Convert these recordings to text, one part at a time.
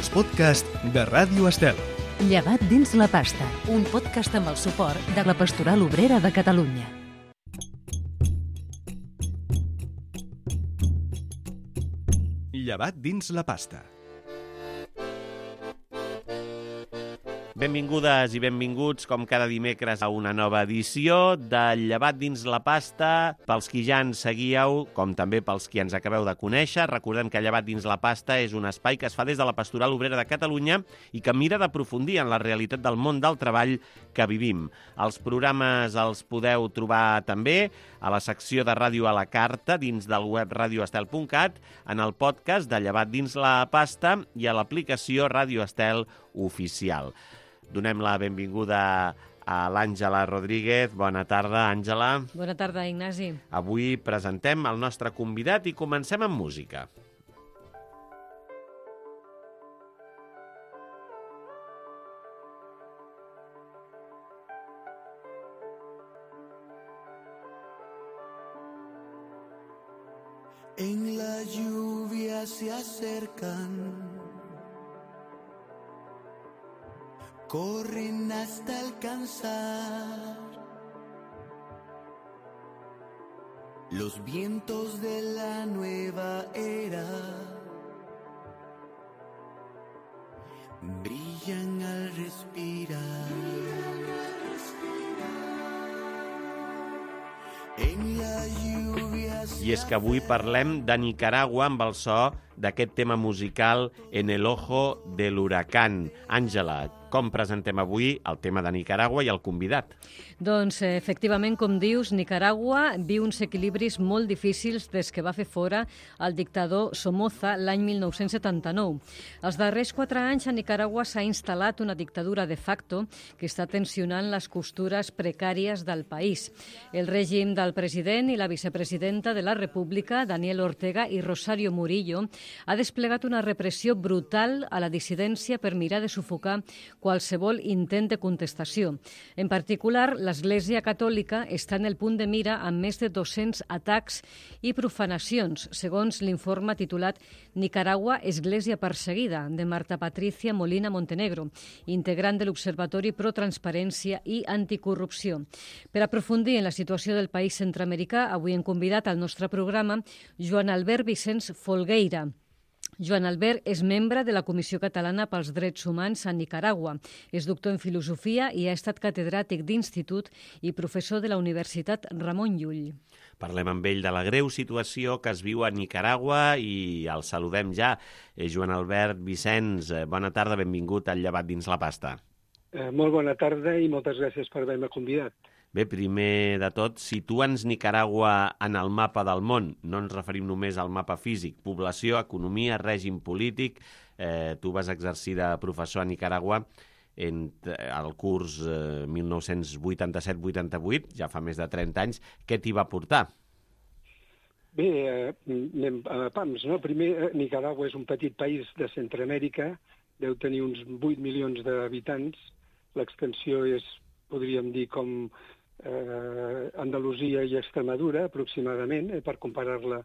els podcasts de Ràdio Estel. Llevat dins la pasta, un podcast amb el suport de la Pastoral Obrera de Catalunya. Llevat dins la pasta. Benvingudes i benvinguts, com cada dimecres, a una nova edició de Llevat dins la pasta. Pels qui ja ens seguíeu, com també pels qui ens acabeu de conèixer, recordem que Llevat dins la pasta és un espai que es fa des de la Pastoral Obrera de Catalunya i que mira d'aprofundir en la realitat del món del treball que vivim. Els programes els podeu trobar també a la secció de Ràdio a la Carta dins del web radioestel.cat, en el podcast de Llevat dins la pasta i a l'aplicació Ràdio Estel Oficial. Donem la benvinguda a l'Àngela Rodríguez. Bona tarda, Àngela. Bona tarda, Ignasi. Avui presentem el nostre convidat i comencem amb música. En la lluvia se acercan, corren hasta alcanzar los vientos de la nueva era, brillan al respirar. En la lluvia. I és que avui parlem de Nicaragua amb el so d'aquest tema musical En el ojo de l'huracán. Àngela, com presentem avui el tema de Nicaragua i el convidat? Doncs, efectivament, com dius, Nicaragua viu uns equilibris molt difícils des que va fer fora el dictador Somoza l'any 1979. Els darrers 4 anys a Nicaragua s'ha instal·lat una dictadura de facto que està tensionant les costures precàries del país. El règim del president i la vicepresidenta de la República, Daniel Ortega i Rosario Murillo, ha desplegat una repressió brutal a la dissidència per mirar de sufocar qualsevol intent de contestació. En particular, l'Església Catòlica està en el punt de mira amb més de 200 atacs i profanacions, segons l'informe titulat Nicaragua, Església perseguida, de Marta Patricia Molina Montenegro, integrant de l'Observatori Pro Transparència i Anticorrupció. Per aprofundir en la situació del país centroamericà, avui hem convidat al nostre programa Joan Albert Vicenç Folgueira. Joan Albert és membre de la Comissió Catalana pels Drets Humans a Nicaragua. És doctor en filosofia i ha estat catedràtic d'institut i professor de la Universitat Ramon Llull. Parlem amb ell de la greu situació que es viu a Nicaragua i el saludem ja. Joan Albert Vicenç, bona tarda, benvingut al Llevat dins la pasta. Molt bona tarda i moltes gràcies per haver-me convidat. Bé, primer de tot, situa'ns Nicaragua en el mapa del món. No ens referim només al mapa físic, població, economia, règim polític. Tu vas exercir de professor a Nicaragua al curs 1987-88, ja fa més de 30 anys. Què t'hi va portar? Bé, anem a pams, no? Primer, Nicaragua és un petit país de Centroamèrica, deu tenir uns 8 milions d'habitants. L'extensió és, podríem dir, com Andalusia i Extremadura, aproximadament, per comparar-la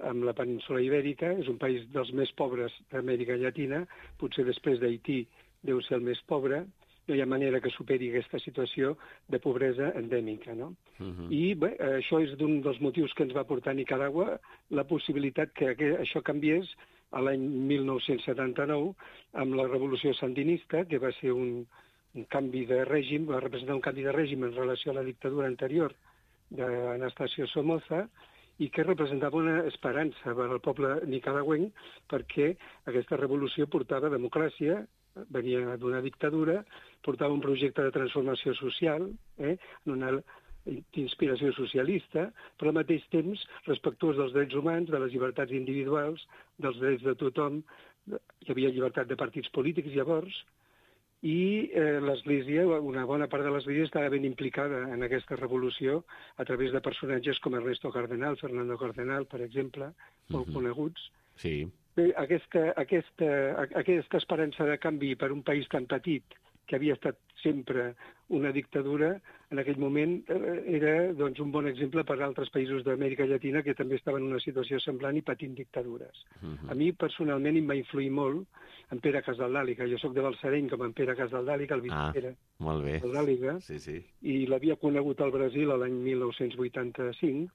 amb la península Ibèrica. És un país dels més pobres d'Amèrica Llatina, potser després d'Haití deu ser el més pobre. No hi ha manera que superi aquesta situació de pobresa endèmica, no? I bé, això és d'un dels motius que ens va portar a Nicaragua, la possibilitat que això canviés a l'any 1979 amb la revolució sandinista, que va ser un canvi de règim, va representar un canvi de règim en relació a la dictadura anterior d'Anastasio Somoza i que representava una esperança per al poble nicaragüenc perquè aquesta revolució portava democràcia, venia d'una dictadura, portava un projecte de transformació social, una d'inspiració socialista, però al mateix temps respectuós dels drets humans, de les llibertats individuals, dels drets de tothom. Hi havia llibertat de partits polítics llavors, i l'Església, una bona part de l'Església estava ben implicada en aquesta revolució a través de personatges com Ernesto Cardenal, Fernando Cardenal, per exemple, molt coneguts. Sí. Bé, aquesta esperança de canvi per un país tan petit, que havia estat sempre una dictadura, en aquell moment era doncs, un bon exemple per a altres països d'Amèrica Llatina que també estaven en una situació semblant i patint dictadures. A mi, personalment, em va influir molt en Pere Casaldàliga. Jo sóc de Balsareny, com en Pere Casaldàliga, el Pere molt bé. Casaldàliga, i l'havia conegut al Brasil l'any 1985,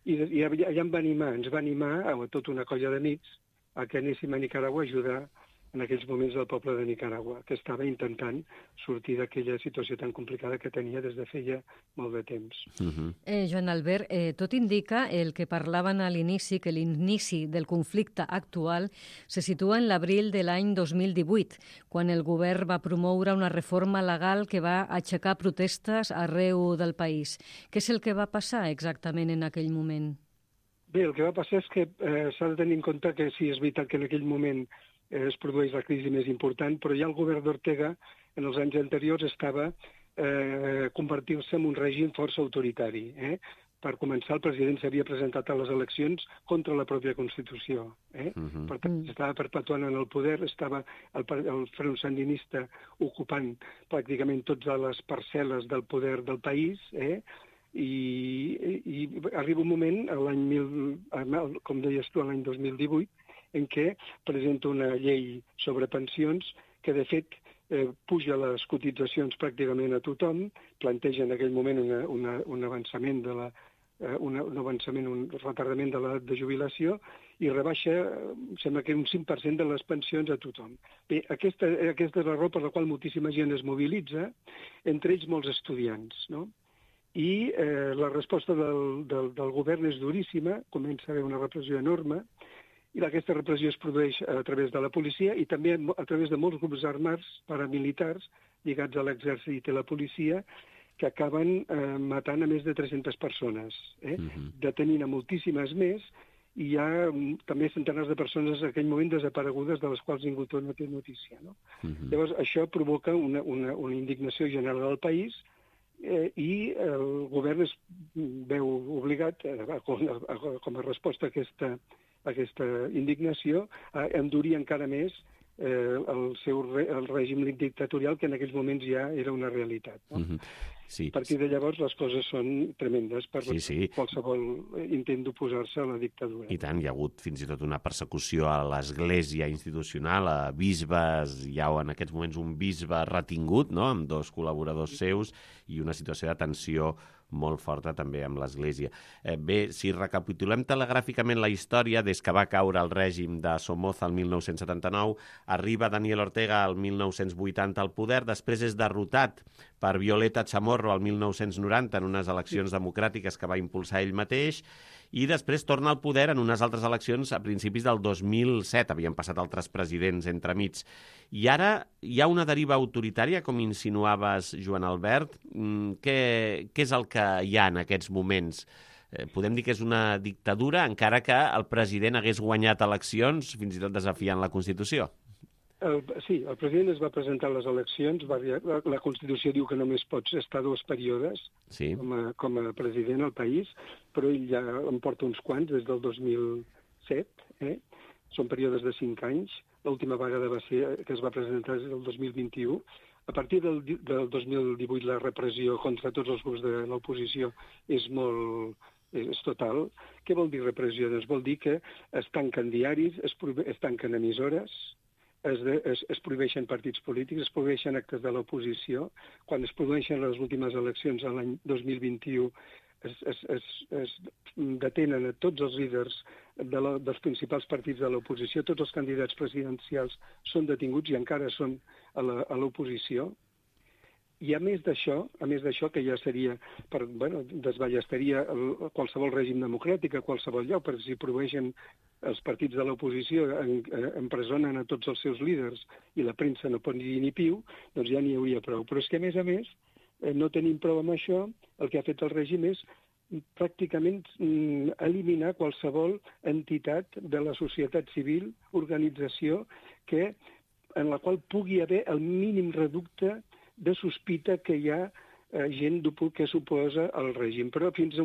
i allà ens va animar a tota una colla d'amics a que anéssim a Nicaragua a ajudar en aquells moments del poble de Nicaragua, que estava intentant sortir d'aquella situació tan complicada que tenia des de feia molt de temps. Joan Albert, tot indica el que parlaven a l'inici, que l'inici del conflicte actual se situa en l'abril de l'any 2018, quan el govern va promoure una reforma legal que va aixecar protestes arreu del país. Què és el que va passar exactament en aquell moment? Bé, el que va passar és que s'ha de tenir en compte que sí, és veritat que en aquell moment es produeix la crisi més important, però ja el govern d'Ortega, en els anys anteriors, estava convertir-se en un règim força autoritari. Per començar, el president s'havia presentat a les eleccions contra la pròpia Constitució. Per tant, estava perpetuant en el poder, estava el front sandinista ocupant pràcticament totes les parcel·les del poder del país, i arriba un moment, com deies tu, l'any 2018, en què presenta una llei sobre pensions que, de fet, puja les cotitzacions pràcticament a tothom, planteja en aquell moment un avançament un retardament de l'edat de jubilació i rebaixa, sembla que un 5% de les pensions a tothom. Bé, aquesta és la raó per la qual moltíssima gent es mobilitza, entre ells molts estudiants, no? I la resposta del govern és duríssima, comença a haver una repressió enorme, i aquesta repressió es produeix a través de la policia i també a través de molts grups armats paramilitars lligats a l'exèrcit i la policia que acaben matant a més de 300 persones, detenint a moltíssimes més, i hi ha també centenars de persones en aquell moment desaparegudes de les quals ningú no té notícia. No? Llavors, això provoca una indignació general al país i el govern es veu obligat, com a resposta a aquesta indignació, a endurir encara més el règim dictatorial, que en aquells moments ja era una realitat. No? A partir de llavors les coses són tremendes per qualsevol intent d'oposar-se a la dictadura. I tant, hi ha hagut fins i tot una persecució a l'església institucional, a bisbes, hi ha en aquests moments un bisbe retingut, no?, amb 2 col·laboradors seus, i una situació de tensió molt forta també amb l'Església. Bé, si recapitulem telegràficament la història, des que va caure el règim de Somoza el 1979, arriba Daniel Ortega el 1980 al poder, després és derrotat per Violeta Chamorro el 1990 en unes eleccions democràtiques que va impulsar ell mateix, i després torna al poder en unes altres eleccions a principis del 2007. Havien passat altres presidents entremig. I ara hi ha una deriva autoritària, com insinuaves, Joan Albert. Què és el que hi ha en aquests moments? Podem dir que és una dictadura, encara que el president hagués guanyat eleccions, fins i tot desafiant la Constitució. Sí, el president es va presentar a les eleccions, la Constitució diu que només pots estar 2 períodes com a president al país, però ell ja en porta uns quants, des del 2007, són períodes de 5 anys, l'última vegada que es va presentar és el 2021. A partir del 2018 la repressió contra tots els grups de l'oposició és total. Què vol dir repressió? Doncs vol dir que es tanquen diaris, es tanquen emissores, es prohibeixen partits polítics, es prohibeixen actes de l'oposició. Quan es produeixen les últimes eleccions a l'any 2021 es detenen a tots els líders dels principals partits de l'oposició, tots els candidats presidencials són detinguts i encara són a l'oposició. I a més d'això, que ja seria, desballestaria qualsevol règim democràtic a qualsevol lloc, perquè si prohibeixen els partits de l'oposició, empresonen a tots els seus líders i la premsa no pot dir ni piu, doncs ja n'hi hauria prou. Però és que, a més, no tenim prou amb això. El que ha fet el règim és pràcticament eliminar qualsevol entitat de la societat civil, organització, en la qual pugui haver el mínim reducte de sospita que hi ha gent que s'oposa al règim, però fins a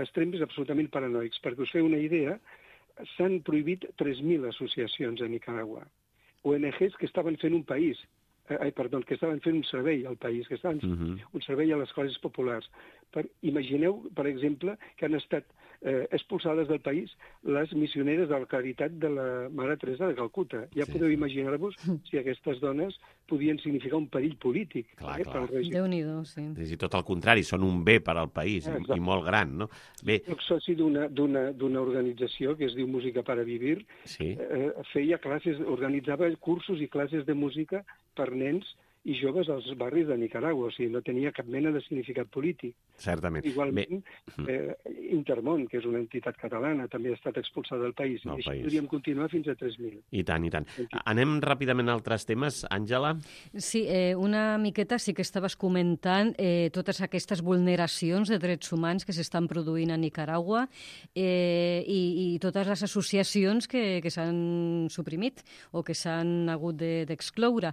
extrems absolutament paranoics. Perquè us feu una idea, s'han prohibit 3.000 associacions a Nicaragua, ONGs que estaven fent que estaven fent un servei al país, que estaven fent un servei a les classes populars. Imagineu, per exemple, que han estat expulsades del país les missioneres de la Caritat de la Mare Teresa de Calcuta. Ja podeu imaginar-vos si aquestes dones podien significar un perill polític pel règim. Déu-n'hi-do, sí. I tot el contrari, són un bé per al país i molt gran, no? Bé. Soc soci d'una organització que es diu Música para Vivir. Feia classes, organitzava cursos i classes de música per nens i joves als barris de Nicaragua, o sigui, no tenia cap mena de significat polític. Certament. Igualment, Intermón, que és una entitat catalana, també ha estat expulsada del país, i així podríem continuar fins a 3.000. I tant, i tant. Anem ràpidament a altres temes, Àngela? Sí, una miqueta sí que estaves comentant totes aquestes vulneracions de drets humans que s'estan produint a Nicaragua i totes les associacions que s'han suprimit o que s'han hagut d'excloure.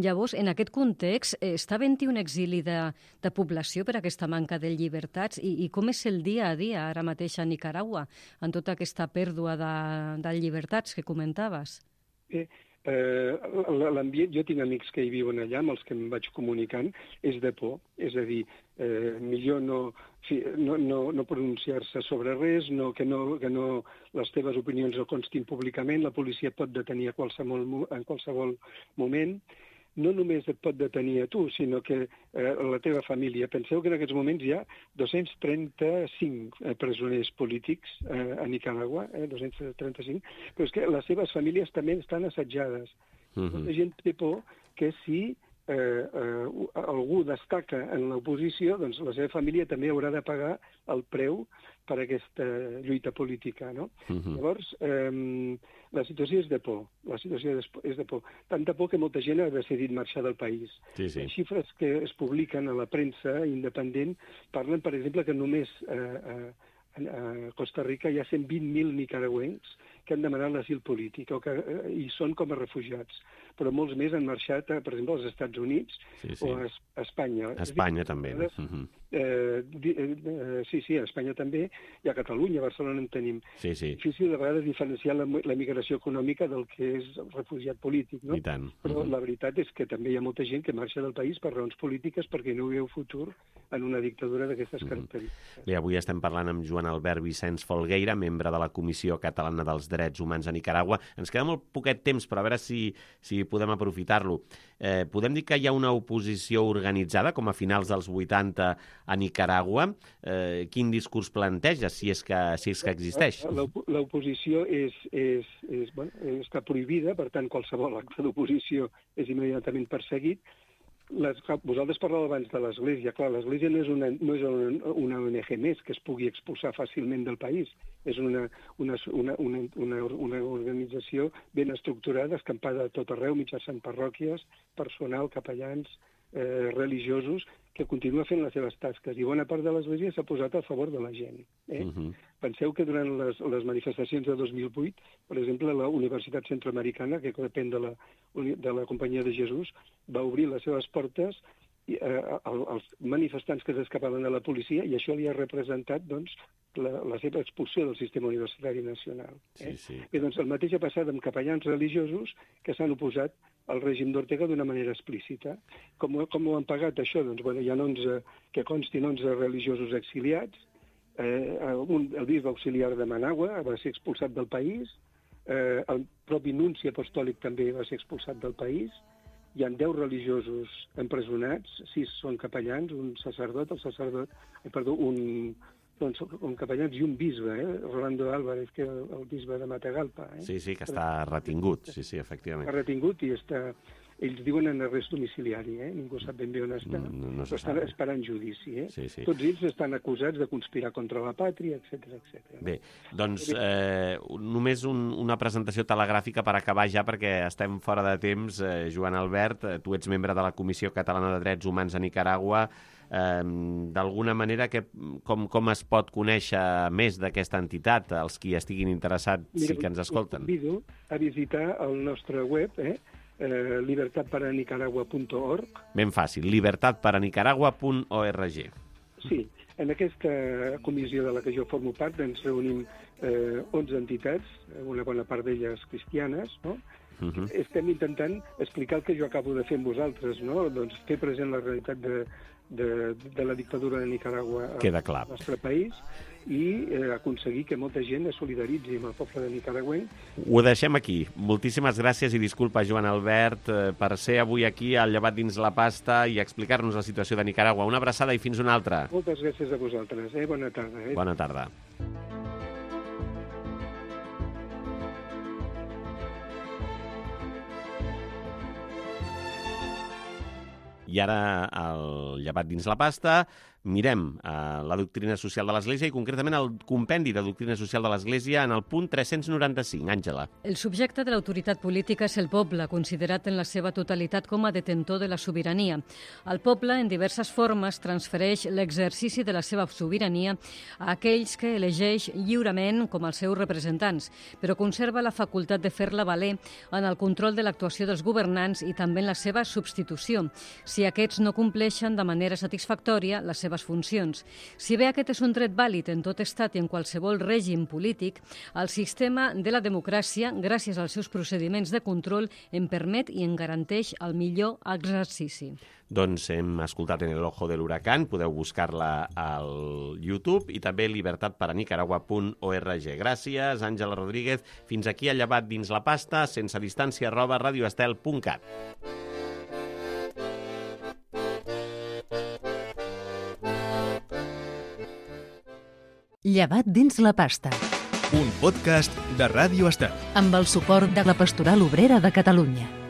Llavors, en aquest context, està havent-hi un exili de població per aquesta manca de llibertats i com és el dia a dia ara mateix a Nicaragua en tota aquesta pèrdua de llibertats que comentaves? L'ambient, jo tinc amics que hi viuen allà, amb els que em vaig comunicant, és de por. És a dir, millor no pronunciar-se sobre res, que les teves opinions no constin públicament, la policia et pot detenir en qualsevol moment. No només et pot detenir a tu, sinó que la teva família. Penseu que en aquests moments hi ha 235 presoners polítics a Nicaragua, 235, però és que les seves famílies també estan assetjades. La gent té por que si algú destaca en l'oposició, doncs la seva família també haurà de pagar el preu per aquesta lluita política, no? Llavors, la situació és de por. La situació és de por. Tanta por que molta gent ha decidit marxar del país. Les xifres que es publiquen a la premsa independent parlen, per exemple, que només a Costa Rica hi ha 120.000 nicaragüencs que han demanat l'asil polític i són com a refugiats. Però molts més han marxat, per exemple, als Estats Units o a Espanya. A Espanya també. Sí, a Espanya també, i a Catalunya, a Barcelona en tenim. Difícil de vegades diferenciar la migració econòmica del que és refugiat polític, no? I tant. Però la veritat és que també hi ha molta gent que marxa del país per raons polítiques perquè no veu futur en una dictadura d'aquestes característiques. Bé, avui estem parlant amb Joan Albert Vicenç Folgueira, membre de la Comissió Catalana dels Drets Humans a Nicaragua. Ens queda molt poquet temps, però a veure si podem aprofitar-lo. Podem dir que hi ha una oposició organitzada, com a finals dels 80 a Nicaragua. Quin discurs planteja, si és que existeix? L'oposició està prohibida, per tant, qualsevol acte d'oposició és immediatament perseguit. Vosaltres parlàveu abans de l'Església. Clar, l'Església no és una ONG més que es pugui expulsar fàcilment del país. És una organització ben estructurada, escampada a tot arreu, mitjançant parròquies, personal, capellans, religiosos, que continua fent les seves tasques. I bona part de l'Església s'ha posat a favor de la gent. Penseu que durant les manifestacions de 2008, per exemple, la Universitat Centroamericana, que depèn de la Companyia de Jesús, va obrir les seves portes als manifestants que s'escapaven de la policia, i això li ha representat la seva expulsió del sistema universitari nacional. Bé, doncs el mateix ha passat amb capellans religiosos que s'han oposat al règim d'Ortega d'una manera explícita. Com ho han pagat, això? Doncs hi ha 11, que constin 11 religiosos exiliats, el bisbe auxiliar de Managua va ser expulsat del país, el propi nunci apostòlic també va ser expulsat del país, hi ha 10 religiosos empresonats, 6 són capellans, un capellans i un bisbe, Rolando Álvarez, que és el bisbe de Matagalpa. Sí, que està retingut, sí, efectivament. Està retingut i ells diuen en arrest domiciliari, ningú sap ben bé on està, però estan esperant judici. Tots ells estan acusats de conspirar contra la pàtria, etc. Bé, doncs només una presentació telegràfica per acabar ja, perquè estem fora de temps. Joan Albert, tu ets membre de la Comissió Catalana de Drets Humans a Nicaragua. D'alguna manera, com es pot conèixer més d'aquesta entitat, els qui estiguin interessats, sí que ens escolten? Convido a visitar el nostre web, libertadparanicaragua.org. Ben fàcil, libertadparanicaragua.org. Sí, en aquesta comissió de la que jo formo part ens reunim 11 entitats, una bona part d'elles cristianes, no? Estem intentant explicar el que jo acabo de fer amb vosaltres, no? Doncs fer present la realitat de la dictadura de Nicaragua Queda clar. al nostre país i aconseguir que molta gent es solidaritzi amb el poble de Nicaragüenc. Ho deixem aquí. Moltíssimes gràcies i disculpa, Joan Albert, per ser avui aquí al Llevat dins la pasta i explicar-nos la situació de Nicaragua. Una abraçada i fins una altra. Moltes gràcies a vosaltres. Bona tarda. Bona tarda. I ara, al Llevat dins la pasta, mirem la doctrina social de l'Església i concretament el compendi de doctrina social de l'Església en el punt 395. Àngela. El subjecte de l'autoritat política és el poble, considerat en la seva totalitat com a detentor de la sobirania. El poble, en diverses formes, transfereix l'exercici de la seva sobirania a aquells que elegeix lliurement com els seus representants, però conserva la facultat de fer-la valer en el control de l'actuació dels governants i també en la seva substitució, si aquests no compleixen de manera satisfactòria les seves funcions. Si bé aquest és un dret vàlid en tot estat i en qualsevol règim polític, el sistema de la democràcia, gràcies als seus procediments de control, en permet i en garanteix el millor exercici. Doncs hem escoltat En el ojo de l'huracán, podeu buscar-la al YouTube i també libertatparanicaragua.org. Gràcies, Àngela Rodríguez. Fins aquí al Llevat dins la pasta, sense distància, @radioestel.cat. Llevat dins la pasta. Un podcast de Ràdio Estel. Amb el suport de la Pastoral Obrera de Catalunya.